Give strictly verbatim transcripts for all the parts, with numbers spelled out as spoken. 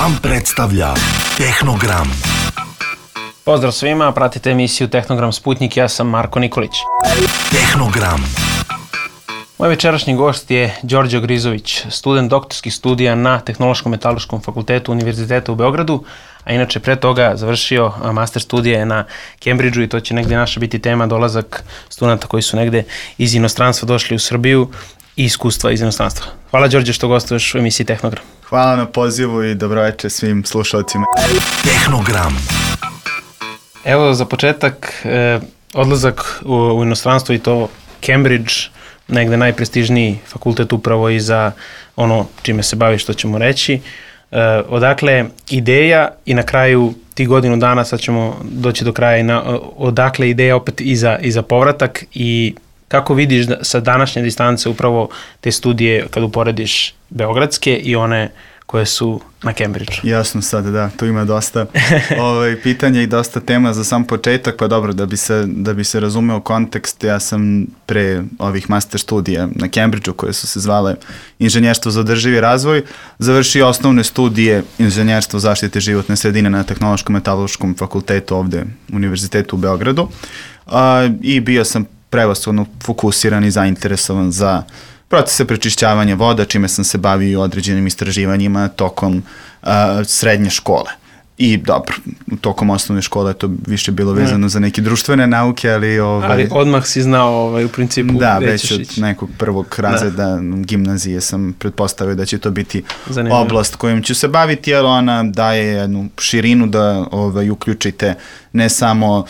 Vam predstavlja Tehnogram. Pozdrav svima, pratite emisiju Tehnogram Sputnik, ja sam Marko Nikolić. Tehnogram. Moj večerašnji gost je Đorđe Grizović, student doktorskih studija na Tehnološkom metalurškom fakultetu Univerziteta u Beogradu, a inače pre toga završio master studije na Cambridgeu i to će negde naša biti tema, dolazak studenta koji su negde iz inostranstva došli u Srbiju i iskustva iz inostranstva. Hvala Đorđe što gostuješ u emisiji Tehnogram. Hvala na pozivu i dobroveče svim slušalcima. Tehnogram. Evo za početak, eh, odlazak u, u inostranstvo i to Cambridge, negde najprestižniji fakultet upravo i za ono čime se bavi, što ćemo reći. E, odakle ideja i na kraju ti godinu dana, sad ćemo doći do kraja, i na, odakle ideja opet i za, i za povratak i kako vidiš da, sa današnje distance upravo te studije kad uporediš beogradske i one koje su na Cambridgeu. Jasno sad, da, tu ima dosta ovaj, pitanja i dosta tema za sam početak, pa dobro, da bi se, da bi se razumeo kontekst, ja sam pre ovih master studija na Cambridgeu, koje su se zvale Inženjerstvo za održivi razvoj, završio osnovne studije Inženjerstvo zaštite životne sredine na Tehnološkom metalurškom fakultetu ovde u Univerzitetu u Beogradu a, i bio sam prevashodno fokusiran i zainteresovan za procese prečišćavanja voda, čime sam se bavio određenim istraživanjima tokom uh, srednje škole. I dobro, tokom osnovne škole to više bilo vezano mm. za neke društvene nauke, ali... Ovaj, ali odmah si znao ovaj, u principu da, već od ići. nekog prvog razreda da. gimnazije sam pretpostavio da će to biti zanimljivo. Oblast kojom ću se baviti, jer ona daje jednu širinu da ovaj, uključite ne samo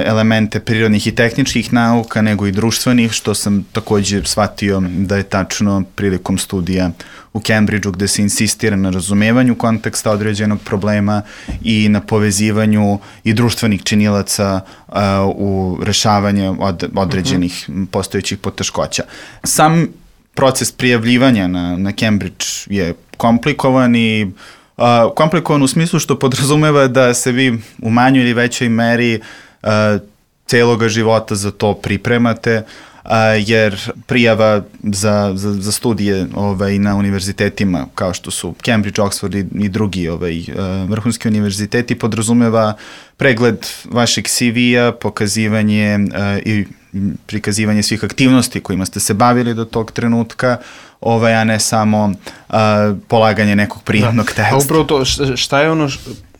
elemente prirodnih i tehničkih nauka, nego i društvenih, što sam također shvatio da je tačno prilikom studija u Cambridgeu, gde se insistira na razumevanju konteksta određenog problema i na povezivanju i društvenih činilaca uh, u rešavanju od, određenih uh-huh. postojećih poteškoća. Sam proces prijavljivanja na, na Cambridge je komplikovan i uh, komplikovan u smislu što podrazumeva da se vi u manjoj ili većoj meri Uh, celoga života za to pripremate, uh, jer prijava za, za, za studije ovaj, na univerzitetima kao što su Cambridge, Oxford i, i drugi ovaj, uh, vrhunski univerziteti podrazumeva pregled vašeg C V-a, pokazivanje uh, i prikazivanje svih aktivnosti kojima ste se bavili do tog trenutka, ovaj, a ne samo uh, polaganje nekog prijemnog teksta. A upravo to, šta je ono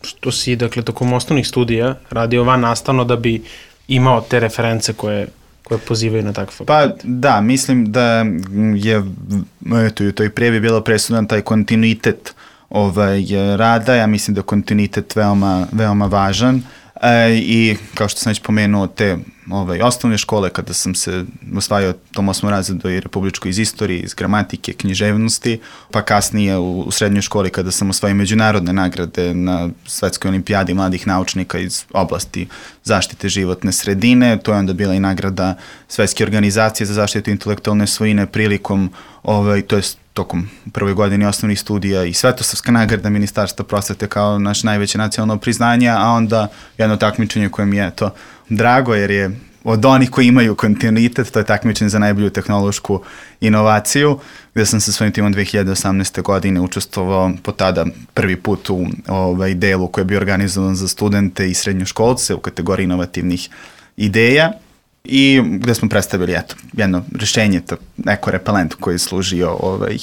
što si, dakle, tokom osnovnih studija radio van nastavno da bi imao te reference koje, koje pozivaju na takve fakultete? Pa da, mislim da je eto, u toj prijavi bilo presudan taj kontinuitet ovaj, rada. Ja mislim da je kontinuitet veoma, veoma važan. E, i kao što sam već pomenuo te ovaj, osnovne škole, kada sam se osvajao tom osmom razredu i republičko iz istorije, iz gramatike, književnosti, pa kasnije u, u srednjoj školi kada sam osvajao međunarodne nagrade na Svetskoj olimpijadi mladih naučnika iz oblasti zaštite životne sredine. To je onda bila i nagrada Svetske organizacije za zaštitu intelektualne svojine prilikom, ovaj, to je tokom prvoj godini osnovnih studija i Svetosavska nagrada Ministarstva prosvete kao naš najveće nacionalno priznanje, a onda jedno takmičenje koje mi je to drago, jer je od onih koji imaju kontinuitet, to je takmičenje za najbolju tehnološku inovaciju, gde sam sa svojim timom dve hiljade osamnaeste. godine učestvovao po tada prvi put u ovaj delu koji je bio organizovan za studente i srednjoškolce u kategoriji inovativnih ideja i gde smo predstavili eto, jedno rešenje, to neko repelent koji je služio ovaj,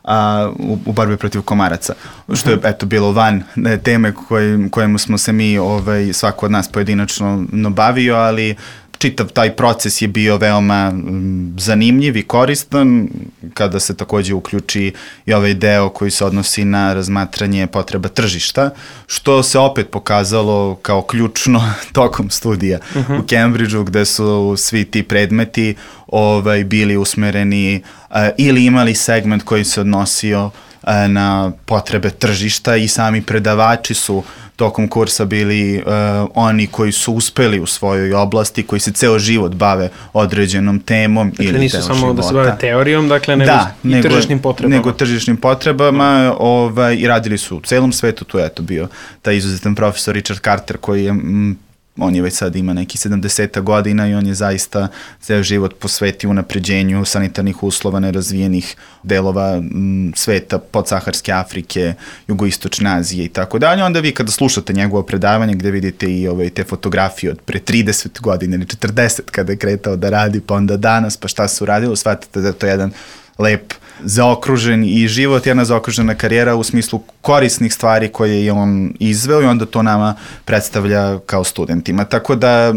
a, u, u borbi protiv komaraca, što je eto, bilo van ne, teme koj, kojemu smo se mi, ovaj, svako od nas pojedinačno bavio, ali čitav taj proces je bio veoma m, zanimljiv i koristan, kada se takođe uključi i ovaj deo koji se odnosi na razmatranje potreba tržišta, što se opet pokazalo kao ključno tokom studija uh-huh. u Cambridgeu, gde su svi ti predmeti ovaj, bili usmereni uh, ili imali segment koji se odnosio uh, na potrebe tržišta i sami predavači su tokom kursa bili uh, oni koji su uspeli u svojoj oblasti, koji se ceo život bave određenom temom. Dakle, ili nisu samo života. Da se bave teorijom, dakle, nego da, i nego, tržišnim potrebama. Nego tržišnim potrebama mm. ovaj, i radili su u celom svetu. Tu je eto bio taj izuzetan profesor Richard Carter koji je m, on je već sad ima neki sedamdeset godina i on je zaista ceo život posvetio unapređenju sanitarnih uslova nerazvijenih delova m, sveta, podsaharske Afrike, jugoistočne Azije i tako dalje. Onda vi kada slušate njegovo predavanje gde vidite i ove, te fotografije od pre trideset godina ili četrdeset kada je kretao da radi, pa onda danas, pa šta se uradilo, shvatite da je to jedan lep, zaokružen i život, jedna zaokružena karijera u smislu korisnih stvari koje je on izveo i onda to nama predstavlja kao studentima. Tako da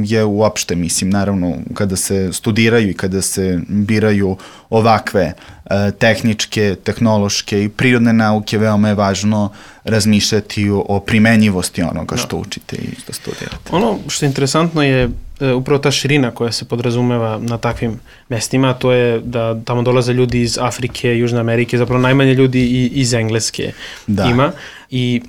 je uopšte, mislim, naravno, kada se studiraju i kada se biraju ovakve e, tehničke, tehnološke i prirodne nauke, veoma je važno razmišljati o, o primenjivosti onoga što učite i što studirate. Ono što je interesantno je e, upravo ta širina koja se podrazumeva na takvim mestima, to je da tamo dolaze ljudi iz Afrike, Južne Amerike, zapravo najmanje ljudi i iz Engleske da. Ima. I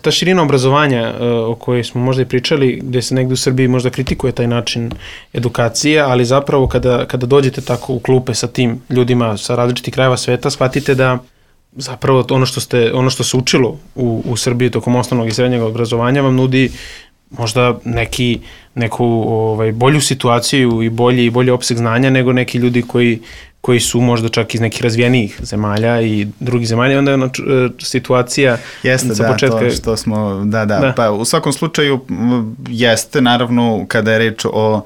ta širina obrazovanja e, o kojoj smo možda i pričali, gde se negde u Srbiji možda kritikuje taj način edukacije, ali zapravo kada, kada dođete tako u klupe sa tim ljudima sa različitih krajeva sveta, shvatite da zapravo ono što, ste, ono što se učilo u, u Srbiji tokom osnovnog i srednjeg obrazovanja vam nudi možda neki, neku ovaj, bolju situaciju i bolji, i bolji opseg znanja nego neki ljudi koji, koji su možda čak iz nekih razvijenijih zemalja i drugih zemalja. Onda je ona situacija jeste, sa da, početka... to što smo, da, da, da. Pa u svakom slučaju jeste, naravno, kada je reč o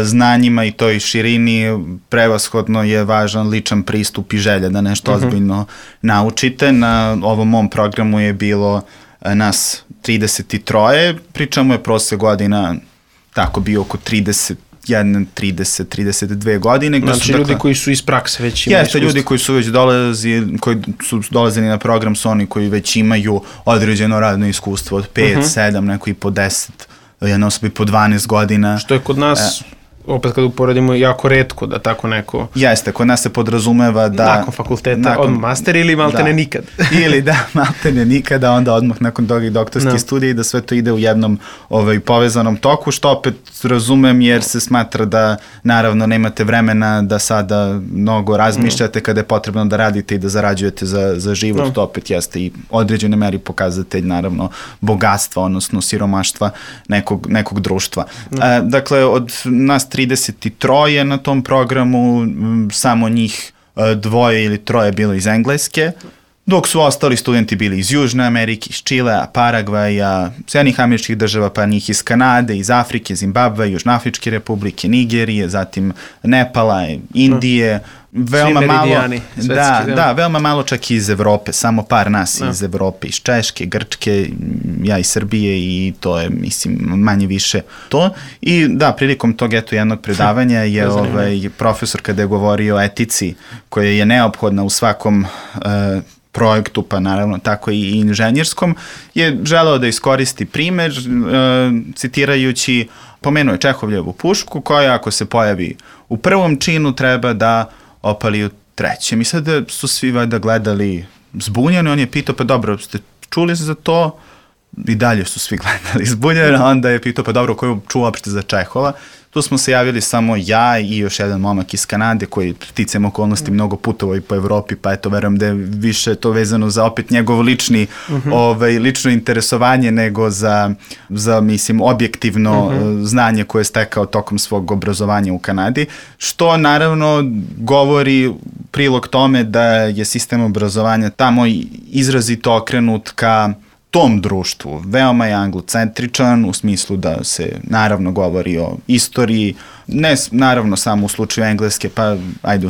znanjima i toj širini, prevashodno je važan ličan pristup i želja da nešto uh-huh. ozbiljno naučite. Na ovom mom programu je bilo nas trideset tri, pričamo je prosek godina tako bio oko trideset jedan, trideset, trideset dve godine. Znači su, ljudi dakle, koji su iz prakse već imaju jeste, ljudi koji su već dolazili, koji su dolazili na program su oni koji već imaju određeno radno iskustvo od pet, uh-huh. sedam, neko i po deset, jedna osoba i po dvanaest godina. Što je kod nas... E, opet kad uporedimo, jako retko da tako neko... Jeste, kod nas se podrazumeva da... Nakon fakulteta, nakon, odmah master ili maltene da, nikad. Ili da, maltene nikada, onda odmah nakon toga i doktorski no. studij i da sve to ide u jednom ovaj, povezanom toku, što opet razumem jer se smatra da naravno nemate vremena da sada mnogo razmišljate no. kada je potrebno da radite i da zarađujete za, za život, no. to opet jeste i određene meri pokazatelj naravno bogatstva, odnosno siromaštva nekog, nekog društva. No. E, dakle, od nas trideset tri na tom programu, samo njih dvoje ili troje bilo iz Engleske, dok su ostali studenti bili iz Južne Amerike, iz Čilea, Paragvaja, Sjedinjenih Američkih Država, pa njih iz Kanade, iz Afrike, Zimbabve, Južnoafričke Republike, Nigerije, zatim Nepala, Indije, veoma malo, da, da, veoma malo čak i iz Evrope, samo par nas no. iz Evrope, iz Češke, Grčke, ja iz Srbije i to je, mislim, manje više to. I da, prilikom tog eto jednog predavanja je ovaj, profesor kada je govorio o etici koja je neophodna u svakom uh, projektu, pa naravno tako i inženjerskom, je želeo da iskoristi primer, uh, citirajući, pomenuo je Čehovljevu pušku koja ako se pojavi u prvom činu treba da opali u trećem. I sada su svi valjda gledali zbunjeni, on je pitao, pa dobro, ste čuli za to? I dalje su svi gledali zbunjeni, onda je pitao, pa dobro, koju čuo uopšte za Čehova? Tu smo se javili samo ja i još jedan momak iz Kanade koji ticajem okolnosti mnogo putovao i po Evropi, pa eto, verujem da je više to vezano za opet njegov lični, uh-huh. ovaj, lično interesovanje nego za, za mislim, objektivno uh-huh. znanje koje je stekao tokom svog obrazovanja u Kanadi, što naravno govori prilog tome da je sistem obrazovanja tamo izrazito okrenut ka tom društvu. Veoma je anglocentričan u smislu da se naravno govori o istoriji, ne naravno samo u slučaju Engleske, pa ajde u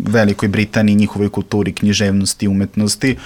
Velikoj Britaniji, njihovoj kulturi, književnosti, umetnosti,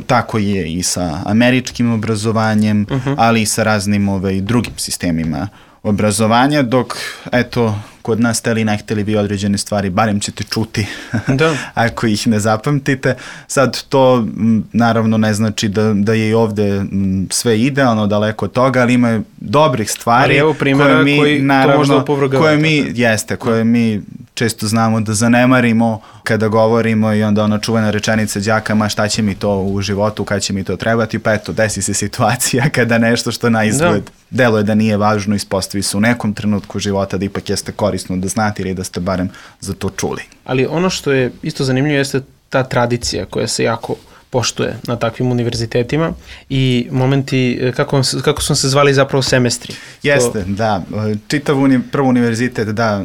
tako je i sa američkim obrazovanjem, uh-huh. ali i sa raznim ovaj, drugim sistemima obrazovanja, dok eto kod nas teli ne hteli vi određene stvari, barem ćete čuti da. ako ih ne zapamtite. Sad to m, naravno ne znači da, da je i ovde m, sve idealno, daleko od toga, ali ima dobrih stvari. Ali evo primjera koje mi, koji naravno, to možda opovrgavate. Koje mi, jeste, koje mi često znamo da zanemarimo kada govorimo i onda ona čuvena rečenica đaka, ma šta će mi to u životu, kad će mi to trebati, pa eto, desi se situacija kada nešto što na izgled da. deluje da nije važno, ispostavi se u nekom trenutku života da ipak jeste korisno da znate ili da ste barem za to čuli. Ali ono što je isto zanimljivo jeste ta tradicija koja se jako poštuje na takvim univerzitetima i momenti, kako, kako su se zvali zapravo semestri? Jeste, to... da. Čitav uni, prvi univerzitet, da,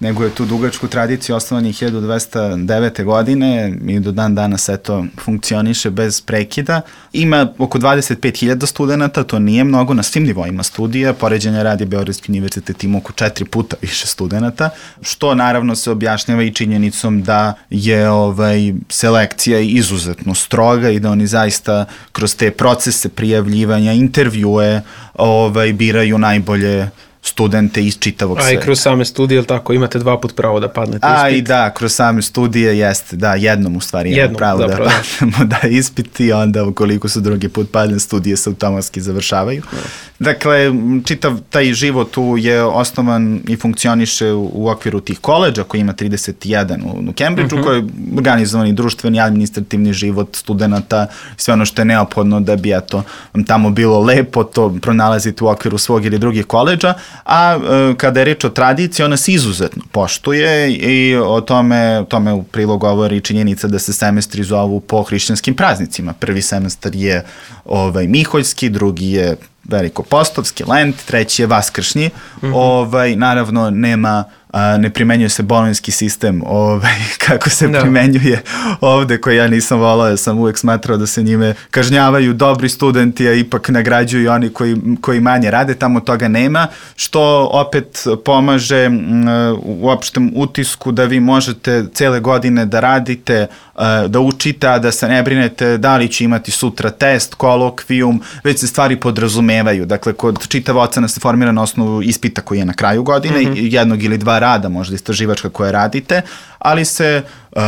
nego je tu dugačku tradiciju, osnovan je hiljadu dvesta devete. godine i do dan danas eto funkcioniše bez prekida. Ima oko dvadeset pet hiljada studenta, to nije mnogo na svim nivoima studija, poređenja radi Beogradski univerzitet ima oko četiri puta više studenta, što naravno se objašnjava i činjenicom da je ovaj, selekcija izuzetno stroga i da oni zaista kroz te procese prijavljivanja, intervjue ovaj, biraju najbolje studente iz čitavog sveta. A i kroz same studije, ili tako, imate dva put pravo da padnete ispit? A i da, kroz same studije jeste, da, jednom u stvari imamo pravo zapravo, da padnemo da ispit i onda ukoliko su drugi put padne, studije se automatski završavaju. No. Dakle, čitav taj život tu je osnovan i funkcioniše u, u okviru tih koleđa koji ima trideset jedan u, u Cambridgeu, uh-huh. koji je organizovani društveni, administrativni život studenta, sve ono što je neophodno da bi eto, tamo bilo lepo, to pronalazite u okviru svog ili drugih koleđa. A e, kada je reč o tradiciji, ona se izuzetno poštuje i o tome, tome u prilog govori činjenica da se semestri zovu po hrišćanskim praznicima. Prvi semestar je ovaj, Miholjski, drugi je Velikopostovski, Lent, treći je Vaskršnji. Mm-hmm. Ovaj, naravno, nema, a, ne primenjuje se bolonjski sistem ovaj, kako se no. primenjuje ovde, koji ja nisam volao, ja sam uvek smatrao da se njime kažnjavaju dobri studenti, a ipak nagrađuju oni koji, koji manje rade, tamo toga nema, što opet pomaže m, u opštem utisku da vi možete cele godine da radite, a, da učite, a da se ne brinete da li će imati sutra test, kolokvijum, već se stvari podrazumevaju. Dakle, kod čitava ocena se formira na osnovu ispita koji je na kraju godine, mm-hmm. jednog ili dva rada, možda istraživačka koje radite, ali se uh,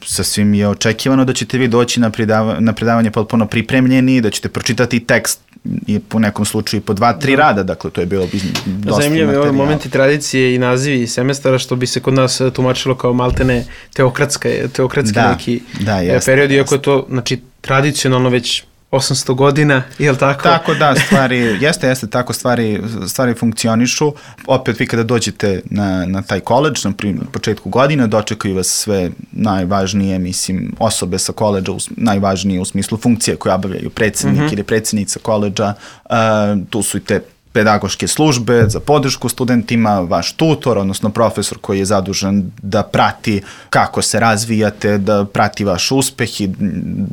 sasvim je očekivano da ćete vi doći na, predava, na predavanje potpuno pripremljeni, da ćete pročitati tekst i po nekom slučaju po dva, tri rada, dakle to je bilo dosta materijala. Zanimljivo je ovaj momenti tradicije i nazivi semestara, što bi se kod nas tumačilo kao maltene teokratska, teokratski da, neki da, jest, period, iako je jest. to, znači, tradicionalno već osamsto godina, je li tako? Tako da, stvari, jeste, jeste, tako stvari, stvari funkcionišu. Opet vi kada dođete na, na taj koledž, na početku godine, dočekaju vas sve najvažnije, mislim, osobe sa koledža, najvažnije u smislu funkcije koje obavljaju predsjednik mm-hmm. ili predsjednica koledža, uh, tu su i te pedagoške službe za podršku studentima, vaš tutor, odnosno profesor koji je zadužen da prati kako se razvijate, da prati vaš uspeh i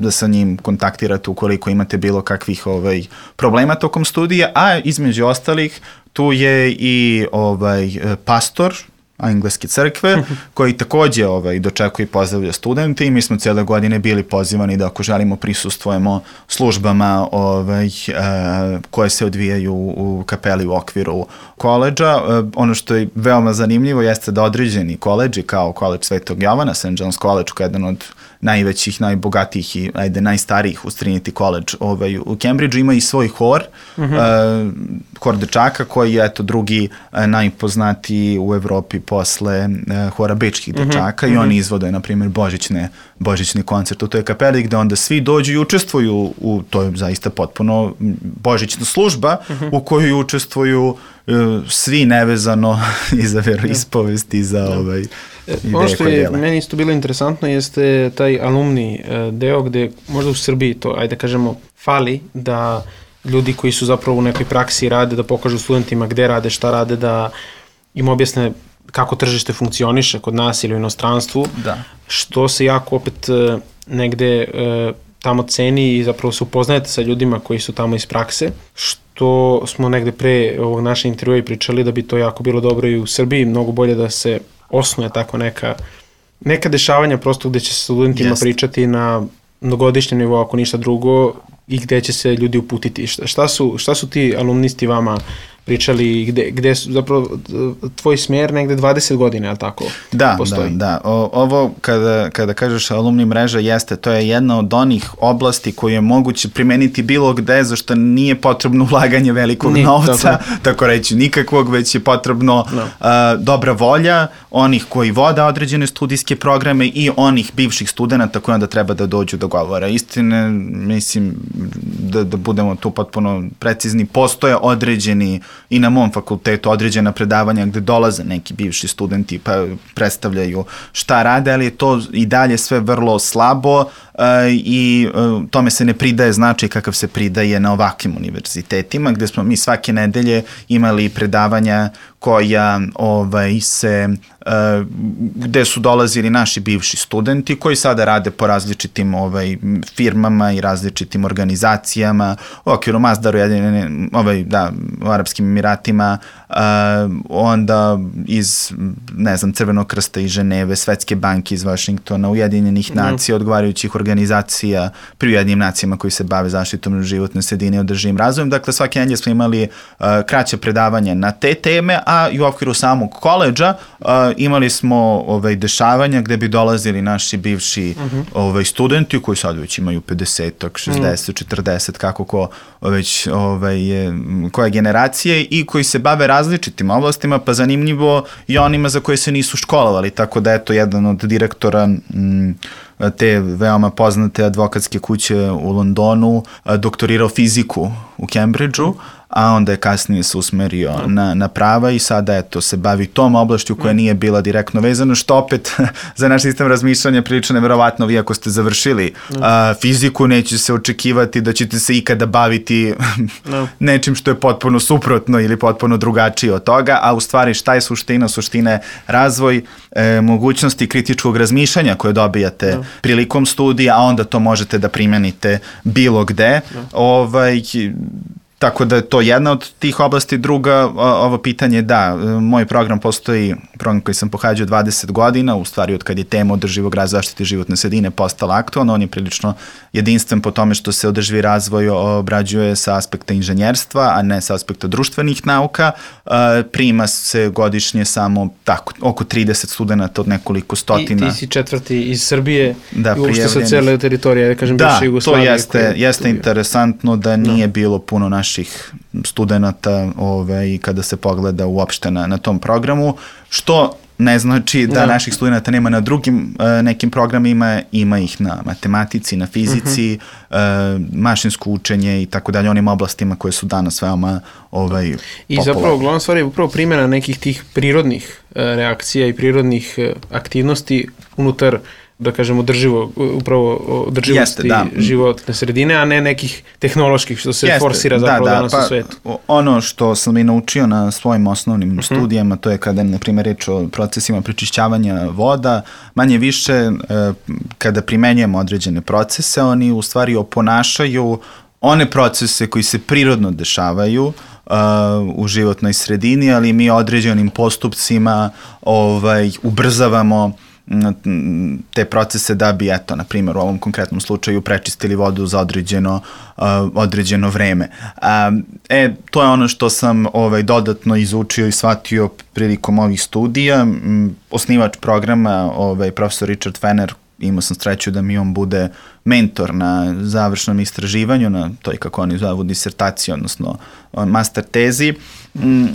da sa njim kontaktirate ukoliko imate bilo kakvih ovaj, problema tokom studija, a između ostalih tu je i ovaj, pastor Engleske crkve, koji takođe ovaj, dočekuje i pozdravlja studente i mi smo cijele godine bili pozivani da ako želimo prisustvujemo službama ovaj, e, koje se odvijaju u kapeli u okviru koleđa. E, ono što je veoma zanimljivo jeste da određeni koleđi kao koleđ Svetog Jovana, Saint John's College, koji je jedan od najvećih, najbogatijih i ajde, najstarijih uz Trinity College ovaj, u Cambridgeu, ima i svoj hor, mm-hmm. e, hor dečaka koji je eto, drugi e, najpoznatiji u Evropi posle e, hora bečkih dečaka mm-hmm. i oni izvode, na primjer, božićne, božićni koncert u toj kapeli gde onda svi dođu i učestvuju u, to je zaista potpuno božićna služba mm-hmm. u kojoj učestvuju e, svi nevezano i za veroispovest i za ovaj ono što je meni isto bilo interesantno jeste taj alumni deo gde možda u Srbiji to, ajde kažemo, fali da ljudi koji su zapravo u nekoj praksi rade, da pokažu studentima gde rade, šta rade, da im objasne kako tržište funkcioniše kod nas ili u inostranstvu, da. Što se jako opet negde tamo ceni i zapravo se upoznajete sa ljudima koji su tamo iz prakse, što smo negde pre ovog naše intervjua i pričali da bi to jako bilo dobro i u Srbiji, mnogo bolje da se osnuje tako neka, neka dešavanja prosto gde će se studentima Jest. pričati na mnogogodišnjem nivou, ako ništa drugo, i gde će se ljudi uputiti. Šta, šta, su, šta su ti alumnisti vama pričali, gde, gde su zapravo tvoj smjer negde dvadeset godina, je li tako? Da, postoji? da, da. O, ovo kada, kada kažeš alumni mreža jeste, to je jedna od onih oblasti koju je moguće primeniti bilo gde, zašto nije potrebno ulaganje velikog Ni, novca, tako, tako reći nikakvog, već je potrebno no. uh, dobra volja onih koji vode određene studijske programe i onih bivših studenta koji onda treba da dođu do govora. Istine, mislim, da, da budemo tu potpuno precizni, postoje određeni i na mom fakultetu određena predavanja gde dolaze neki bivši studenti pa predstavljaju šta rade, ali je to i dalje sve vrlo slabo uh, i uh, tome se ne pridaje značaj kakav se pridaje na ovakvim univerzitetima, gde smo mi svake nedelje imali predavanja koja ovaj, se, uh, gde su dolazili naši bivši studenti koji sada rade po različitim ovaj, firmama i različitim organizacijama, u okviru Masdaru, ovaj, da, u Arapskim Emiratima, uh, onda iz, ne znam, Crvenog krsta iz Ženeve, Svetske banke iz Vašingtona, Ujedinjenih nacija, odgovarajućih organizacija pri Ujedinjenim nacijama koji se bave zaštitom životne sredine i održivim razvojem. Dakle, svake nedelje smo imali uh, kraće predavanje na te teme, a i u okviru samog koledža uh, imali smo ovaj, dešavanja gde bi dolazili naši bivši uh-huh. ovaj, studenti koji sad već imaju pedeset, šezdeset, četrdeset, kako ko već ovaj, koje generacije i koji se bave različitim oblastima, pa zanimljivo i onima za koje se nisu školovali, tako da eto jedan od direktora m, te veoma poznate advokatske kuće u Londonu doktorirao fiziku u Cambridgeu, a onda je kasnije se usmerio na, na prava i sada eto se bavi tom oblašću koja nije bila direktno vezana, što opet za naš sistem razmišljanja prilično neverovatno. Vi ako ste završili a, fiziku, neće se očekivati da ćete se ikada baviti no. nečim što je potpuno suprotno ili potpuno drugačije od toga, a u stvari šta je suština? Suština je razvoj e, mogućnosti kritičkog razmišljanja koje dobijate no. prilikom studija, a onda to možete da primenite bilo gde. No. Ovaj, Tako da je to jedna od tih oblasti. Druga, ovo pitanje, da, moj program postoji, program koji sam pohađao dvadeset godina, u stvari od kad je tema održivog razvoja zaštite životne sredine postala aktualna, on je prilično jedinstven po tome što se održivi razvoj obrađuje sa aspekta inženjerstva, a ne sa aspekta društvenih nauka. Prima se godišnje samo tako, oko trideset studenta od nekoliko stotina. I ti si četvrti iz Srbije da, i uopšte sa cele teritorije, da kažem, bivše Jugoslavije. Da, to jeste, jeste interesantno da nije no. bilo puno naših studenta ovaj, kada se pogleda uopšte na, na tom programu, što ne znači da, da. naših studenta nema na drugim uh, nekim programima, ima ih na matematici, na fizici, uh -huh. uh, mašinsko učenje i tako dalje, onim oblastima koje su danas veoma ovaj, I popularne. zapravo glavna stvar je upravo primjena nekih tih prirodnih uh, reakcija i prirodnih uh, aktivnosti unutar, da kažemo, održivo, upravo održivosti Jeste, da. životne sredine, a ne nekih tehnoloških, što se Jeste, forsira zapravo da, da, danas pa, u svetu. Ono što sam i naučio na svojim osnovnim uh-huh. studijama, to je kada, na primjer, reč o procesima prečišćavanja voda, manje više kada primenjujemo određene procese, oni u stvari oponašaju one procese koji se prirodno dešavaju uh, u životnoj sredini, ali mi određenim postupcima ovaj, ubrzavamo te procese da bi, eto, na primjer, u ovom konkretnom slučaju prečistili vodu za određeno, uh, određeno vreme. Um, e, to je ono što sam ovaj, dodatno izučio i shvatio prilikom ovih studija. Um, osnivač programa, ovaj, profesor Richard Fenner, imao sam sreću da mi on bude mentor na završnom istraživanju, na toj, kako oni zovu, disertaciji, odnosno master tezi,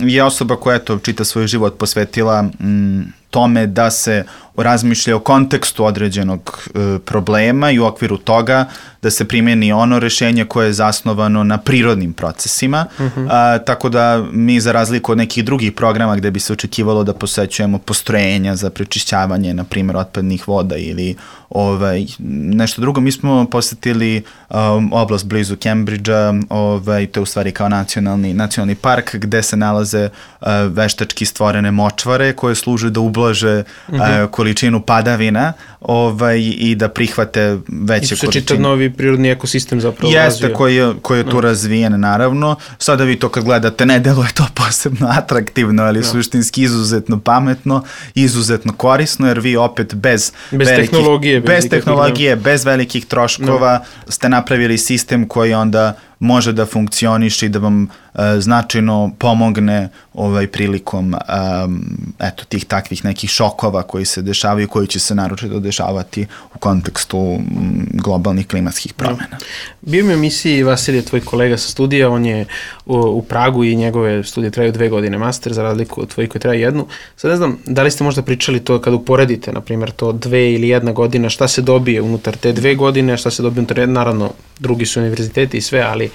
je osoba koja, eto, čita svoj život posvetila m, tome da se razmišlja o kontekstu određenog e, problema i u okviru toga da se primjeni ono rešenje koje je zasnovano na prirodnim procesima, uh-huh. a, tako da mi, za razliku od nekih drugih programa gde bi se očekivalo da posećujemo postrojenja za prečišćavanje, na primjer, otpadnih voda ili ovaj, nešto drugo, mi smo posetili um, oblast blizu Cambridgea, ovaj, to je u stvari kao nacionalni, nacionalni park gde se nalaze uh, veštački stvorene močvare koje služe da ublaže uh-huh. uh, količinu padavina ovaj, i da prihvate veće količine. I se čitav novi prirodni ekosistem zapravo Jeste, razvija. Jeste, koji je, koji je tu no. razvijen, naravno. Sada vi to kad gledate, ne deluje to posebno atraktivno, ali no. suštinski izuzetno pametno, izuzetno korisno, jer vi opet bez, bez velikih, tehnologije, bez, bez, tehnologije, bez velikih troškova no. ste napravili sistem koji onda može da funkcioniše i da vam uh, značajno pomogne ovaj, prilikom um, eto, tih takvih nekih šokova koji se dešavaju i koji će se naročito dešavati u kontekstu um, globalnih klimatskih promjena. Bio mi u emisiji Vasilije, tvoj kolega sa studija, on je u, u Pragu i njegove studije traju dve godine master, za razliku od tvojih koji traju jednu. Sad ne znam, da li ste možda pričali to kad uporedite, na primjer, to dve ili jedna godina, šta se dobije unutar te dve godine, šta se dobije unutar jedne, naravno, drugi su univerziteti i sve, ali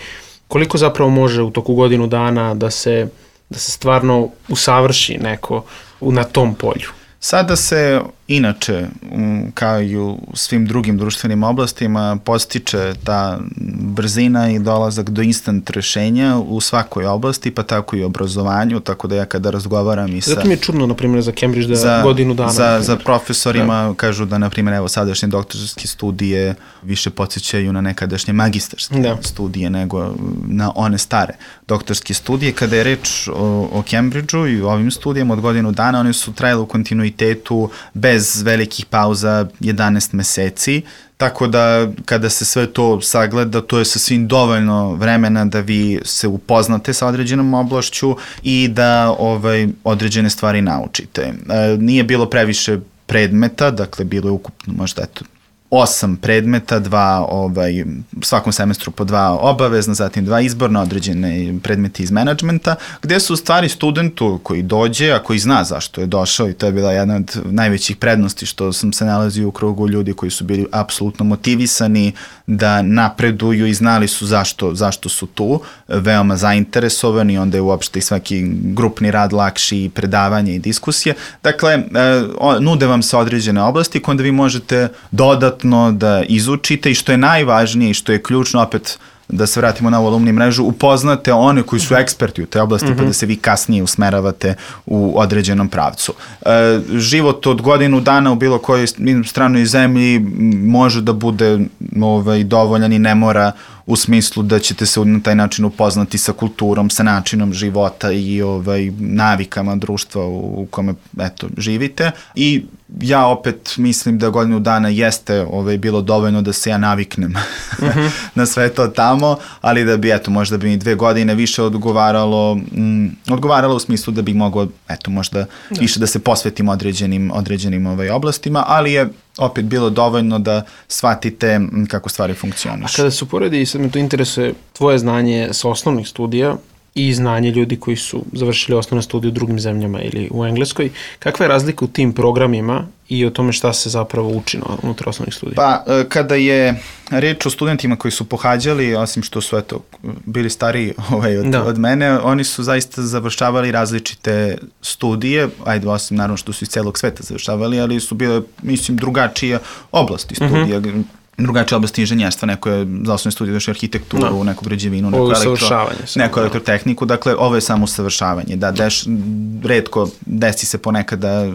koliko zapravo može u toku godinu dana da se da se stvarno usavrši neko na tom polju? Sada se inače, kao i u svim drugim društvenim oblastima, postiče ta brzina i dolazak do instant rešenja u svakoj oblasti, pa tako i u obrazovanju, tako da ja kada razgovaram i sa... Zato mi je čudno, na primjer, za Cambridge da za, godinu dana. Za, za profesorima da. Kažu da, na primjer, evo, sadašnje doktorske studije više podsjećaju na nekadašnje magistarske da. studije nego na one stare doktorske studije. Kada je reč o, o Cambridgeu i ovim studijama od godinu dana, one su trajale u kontinuitetu bez velikih pauza jedanaest meseci, tako da kada se sve to sagleda, to je sasvim dovoljno vremena da vi se upoznate sa određenom oblašću i da ovaj, određene stvari naučite. E, nije bilo previše predmeta, dakle bilo je ukupno možda eto osam predmeta, dva, ovaj, svakom semestru po dva obavezna, zatim dva izborna, određene predmeti iz menadžmenta, gde su u stvari studentu koji dođe, a koji zna zašto je došao, i to je bila jedna od najvećih prednosti što sam se nalazio u krugu ljudi koji su bili apsolutno motivisani da napreduju i znali su zašto, zašto su tu, veoma zainteresovani, onda je uopšte i svaki grupni rad lakši, i predavanje i diskusije. Dakle, nude vam se određene oblasti koje onda vi možete dodatno da izučite i što je najvažnije i što je ključno, opet da se vratimo na ovu alumni mrežu, upoznate one koji su eksperti u te oblasti, mm-hmm. pa da se vi kasnije usmeravate u određenom pravcu. E, život od godinu dana u bilo kojoj stranoj zemlji može da bude ovaj, dovoljan i ne mora u smislu da ćete se na taj način upoznati sa kulturom, sa načinom života i ovaj, navikama društva u, u kome eto, živite. I ja opet mislim da godinu dana jeste ovaj, bilo dovoljno da se ja naviknem mm-hmm. na sve to tamo, ali da bi, eto, možda bi mi dve godine više odgovaralo, mm, odgovaralo u smislu da bi mogao, eto, možda da. više da se posvetim određenim, određenim ovaj, oblastima, ali je opet bilo dovoljno da shvatite kako stvari funkcionišu. A kada se uporedi, i sad me to interesuje, tvoje znanje sa osnovnih studija i znanje ljudi koji su završili osnovne studije u drugim zemljama ili u Engleskoj, kakva je razlika u tim programima i o tome šta se zapravo uči unutar osnovnih studija? Pa, kada je reč o studentima koji su pohađali, osim što su eto, bili stariji ovaj, od, od mene, oni su zaista završavali različite studije, ajde, osim naravno što su iz celog sveta završavali, ali su bile, mislim, drugačije oblasti studija. Mm-hmm. drugačije oblasti inženjerstva, neko je za osnovne studije došao arhitектuru, no. neku građevinu, neku, elektro, neku elektrotehniku, dakle ovo je samo usavršavanje. Da, deš, redko desi se ponekada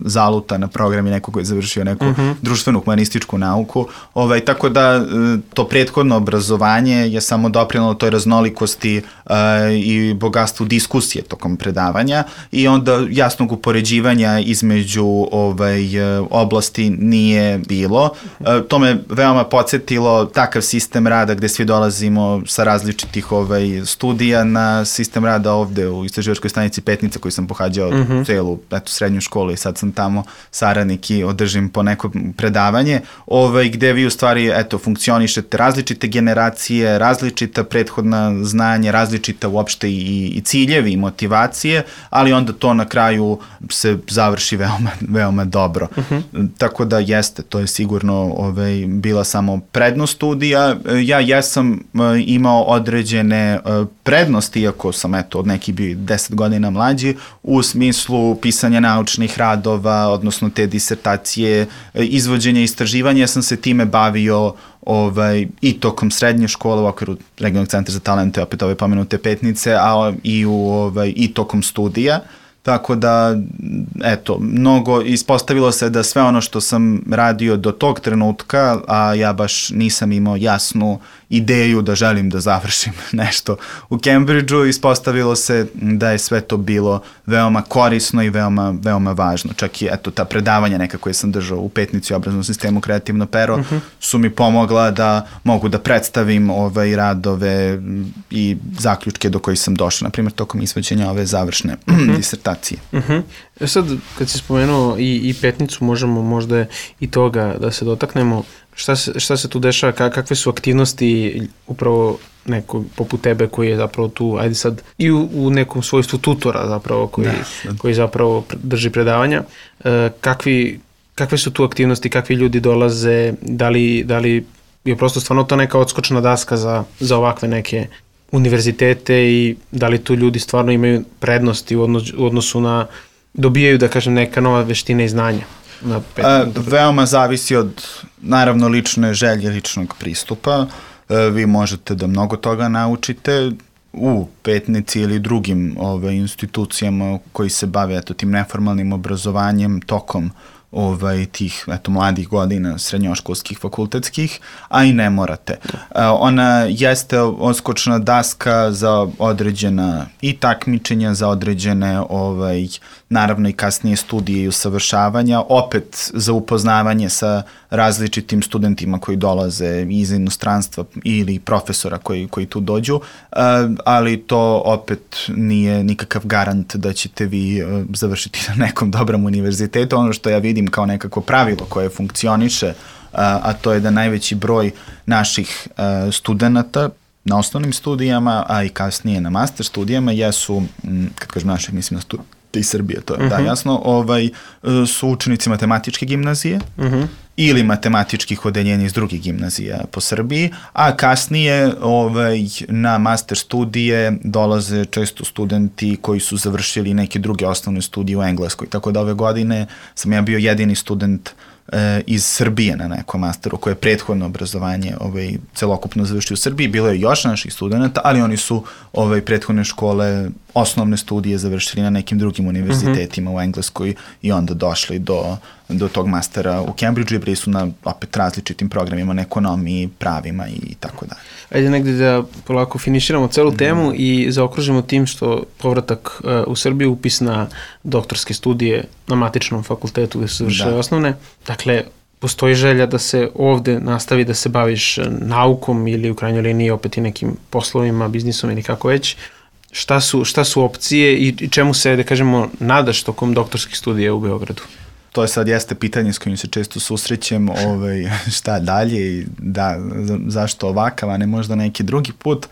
zaluta na programi nekog koji je završio neku uh-huh. društvenu humanističku nauku, ovaj, tako da to prethodno obrazovanje je samo doprinalo toj raznolikosti uh, i bogatstvu diskusije tokom predavanja i onda jasnog upoređivanja između ovaj, oblasti nije bilo. Uh, to me veoma podsjetilo takav sistem rada gde svi dolazimo sa različitih ovaj, studija na sistem rada ovde u istraživačkoj stanici Petnica koji sam pohađao mm-hmm. celu eto, srednju školu i sad sam tamo saradnik i održim po neko predavanje ovaj, gde vi u stvari eto, funkcionišete različite generacije, različita prethodna znanja, različita uopšte i, i ciljevi i motivacije, ali onda to na kraju se završi veoma, veoma dobro. Mm-hmm. Tako da jeste, to je sigurno ovaj, bila samo prednost studija. Ja jesam imao određene prednosti, iako sam eto, od nekih bio deset godina mlađi, u smislu pisanja naučnih radova, odnosno te disertacije, izvođenja istraživanja. Ja sam se time bavio ovaj, i tokom srednje škole u okviru Regionalnog centra za talente, opet ove pomenute Petnice, a i, u, ovaj, i tokom studija. Tako da, eto, mnogo ispostavilo se da sve ono što sam radio do tog trenutka, a ja baš nisam imao jasnu ideju da želim da završim nešto u Cambridgeu, ispostavilo se da je sve to bilo veoma korisno i veoma, veoma važno. Čak i, eto, ta predavanja neka koje sam držao u Petnici u obrazovnom sistemu Kreativno pero uh-huh. su mi pomogla da mogu da predstavim ove radove i zaključke do kojih sam došao, na primjer, tokom izvođenja ove završne uh-huh. disertacije. Uh-huh. E sad, kad si spomenuo i, i Petnicu, možemo možda i toga da se dotaknemo. Šta se, šta se tu dešava, kakve su aktivnosti upravo neko poput tebe koji je zapravo tu, ajde sad, i u, u nekom svojstvu tutora zapravo koji, da. koji zapravo drži predavanja. E, kakvi, kakve su tu aktivnosti, kakvi ljudi dolaze, da li, da li je prosto stvarno to neka odskočna daska za, za ovakve neke univerzitete i da li tu ljudi stvarno imaju prednosti u odnosu, u odnosu na, dobijaju, da kažem, neka nova veština i znanja? Na pet, A, veoma zavisi od, naravno, lične želje, ličnog pristupa. A, vi možete da mnogo toga naučite u Petnici ili drugim ove, institucijama koji se bave eto, tim neformalnim obrazovanjem tokom ovaj, tih eto, mladih godina srednjoškolskih, fakultetskih, a i ne morate. Uh, ona jeste odskočna daska za određena i takmičenja, za određene ovaj, naravno i kasnije studije i usavršavanja, opet za upoznavanje sa različitim studentima koji dolaze iz inostranstva ili profesora koji, koji tu dođu, uh, ali to opet nije nikakav garant da ćete vi uh, završiti na nekom dobrom univerzitetu. Ono što ja vidim kao nekako pravilo koje funkcioniše, a, a to je da najveći broj naših a, studenta na osnovnim studijama, a i kasnije na master studijama jesu, m, kad kažem naših, mislim na studije iz Srbije, to je uh-huh. da jasno, ovaj, su učenici matematičke gimnazije uh-huh. ili matematičkih odeljenja iz drugih gimnazija po Srbiji, a kasnije ovaj, na master studije dolaze često studenti koji su završili neke druge osnovne studije u Engleskoj. Tako da ove godine sam ja bio jedini student e, iz Srbije na nekom masteru koje je prethodno obrazovanje ovaj, celokupno završio u Srbiji. Bilo je još naših studenta, ali oni su ovaj, prethodne škole, osnovne studije završili na nekim drugim univerzitetima mm-hmm. u Engleskoj i onda došli do, do tog mastera u Cambridgeu i bili su na opet različitim programima na ekonomiji, pravima i tako dalje. Ajde negde da polako finiširamo celu temu mm. i zaokružimo tim što povratak uh, u Srbiju, upis na doktorske studije na matičnom fakultetu gde su završile osnovne. Dakle, postoji želja da se ovde nastavi da se baviš naukom ili u krajnjoj liniji opet i nekim poslovima, biznisom ili kako već. Šta su, šta su opcije i čemu se, da kažemo, nadaš tokom doktorskih studija u Beogradu? To je sad jeste pitanje s kojim se često susrećem, ovaj, šta dalje i da, zašto ovakav, a ne možda neki drugi put.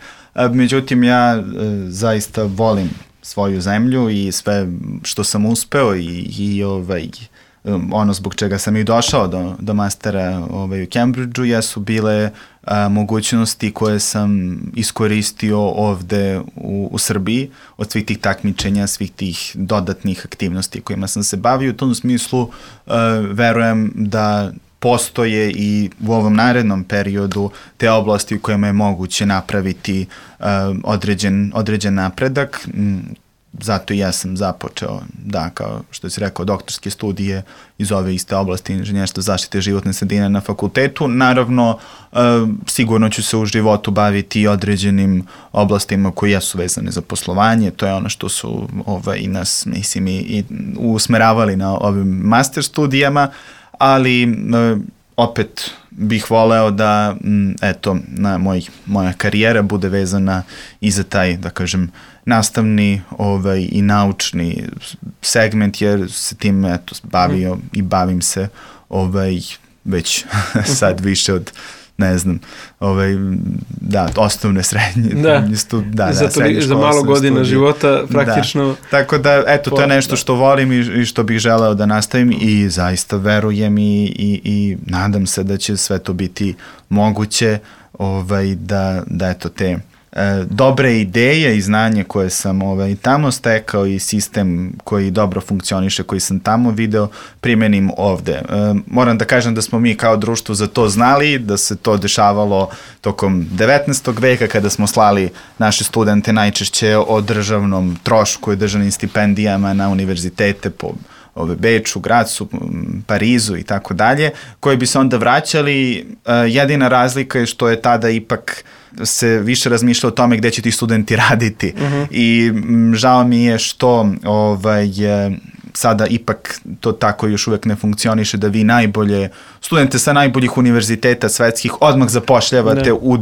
Međutim, ja e, zaista volim svoju zemlju i sve što sam uspeo i, i ovaj, ono zbog čega sam i došao do, do mastera ovaj, u Cambridgeu jesu bile a, mogućnosti koje sam iskoristio ovde u, u Srbiji od svih tih takmičenja, svih tih dodatnih aktivnosti kojima sam se bavio. U tom smislu a, verujem da postoje i u ovom narednom periodu te oblasti u kojima je moguće napraviti a, određen, određen napredak. Zato i ja sam započeo, da, kao što si rekao, doktorske studije iz ove iste oblasti inženjerstva zaštite životne sredine na fakultetu. Naravno, e, sigurno ću se u životu baviti određenim oblastima koje jesu vezane za poslovanje. To je ono što su ovaj, i nas, mislim, i, i usmeravali na ovim master studijama, ali e, opet bih voleo da, m, eto, na moj, moja karijera bude vezana i za taj, da kažem, nastavni ovaj, i naučni segment, jer se tim eto, bavio mm. i bavim se ovaj, već sad više od, ne znam, ovaj, da, osnovne, srednje, da. Stu, da, da, za, to, za malo godina studije. Života praktično. Da. Tako da, eto, to je nešto što volim i, i što bih želeo da nastavim i zaista verujem i, i, i nadam se da će sve to biti moguće, ovaj, da, da eto te E, dobre ideje i znanje koje sam ovaj, tamo stekao i sistem koji dobro funkcioniše, koji sam tamo video, primenim ovde. E, moram da kažem da smo mi kao društvo za to znali, da se to dešavalo tokom devetnaestog veka kada smo slali naše studente najčešće o državnom trošku i državnim stipendijama na univerzitete po ove Beču, Gracu, Parizu i tako dalje, koji bi se onda vraćali. E, jedina razlika je što je tada ipak se više razmišlja o tome gde će ti studenti raditi. Uh-huh. I m, žao mi je što ovaj, sada ipak to tako još uvek ne funkcioniše, da vi najbolje, studente sa najboljih univerziteta svetskih odmah zapošljavate ne. u uh,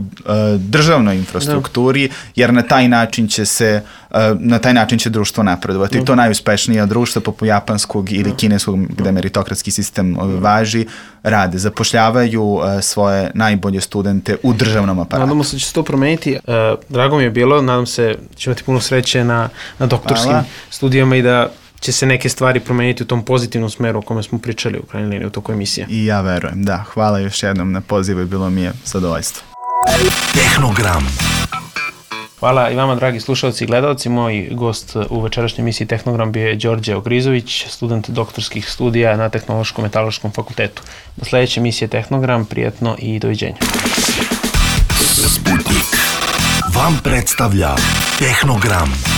državnoj infrastrukturi, ne. jer na taj način će se uh, na taj način će društvo napredovati. Ne. To najuspešnija društva poput japanskog ili ne. kineskog, gde meritokratski sistem uh, važi, rade, zapošljavaju uh, svoje najbolje studente u državnom aparatu. Nadamo se da će se to promeniti. Uh, drago mi je bilo, nadam se da će imati puno sreće na, na doktorskim Hvala. studijama i da će se neke stvari promeniti u tom pozitivnom smeru o kome smo pričali u krajnjoj liniji u toku emisije. I ja verujem, da. Hvala još jednom na pozivu i bilo mi je zadovoljstvo. Tehnogram. Hvala i vama, dragi slušalci i gledalci. Moj gost u večerašnjoj emisiji Tehnogram bio je Đorđe Ogrizović, student doktorskih studija na Tehnološko-metaloškom fakultetu. Do sledeće emisije Tehnogram, prijetno i doviđenja. Sputnik vam predstavlja Tehnogram.